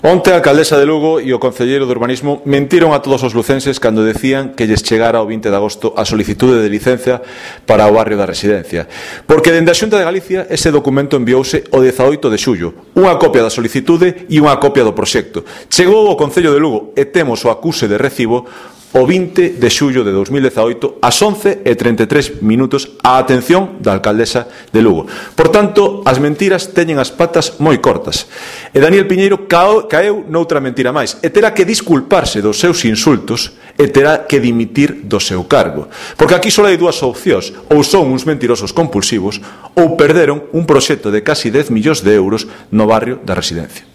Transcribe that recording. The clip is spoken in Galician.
Onte a alcaldesa de Lugo e o concelleiro de Urbanismo mentiron a todos os lucenses cando decían que lles chegara o 20 de agosto a solicitude de licencia para o barrio da Residencia. Porque dende a Xunta de Galicia ese documento enviouse o 18 de xullo, unha copia da solicitude e unha copia do proxecto. Chegou ao Concello de Lugo e temos o acuse de recibo o 20 de xullo de 2018 ás 11:33 á atención da alcaldesa de Lugo. Por tanto, as mentiras teñen as patas moi cortas. E Daniel Piñeiro caeu noutra mentira máis e terá que disculparse dos seus insultos e terá que dimitir do seu cargo. Porque aquí só hai dúas opcións: ou son uns mentirosos compulsivos ou perderon un proxecto de casi 10 millóns de euros no barrio da Residencia.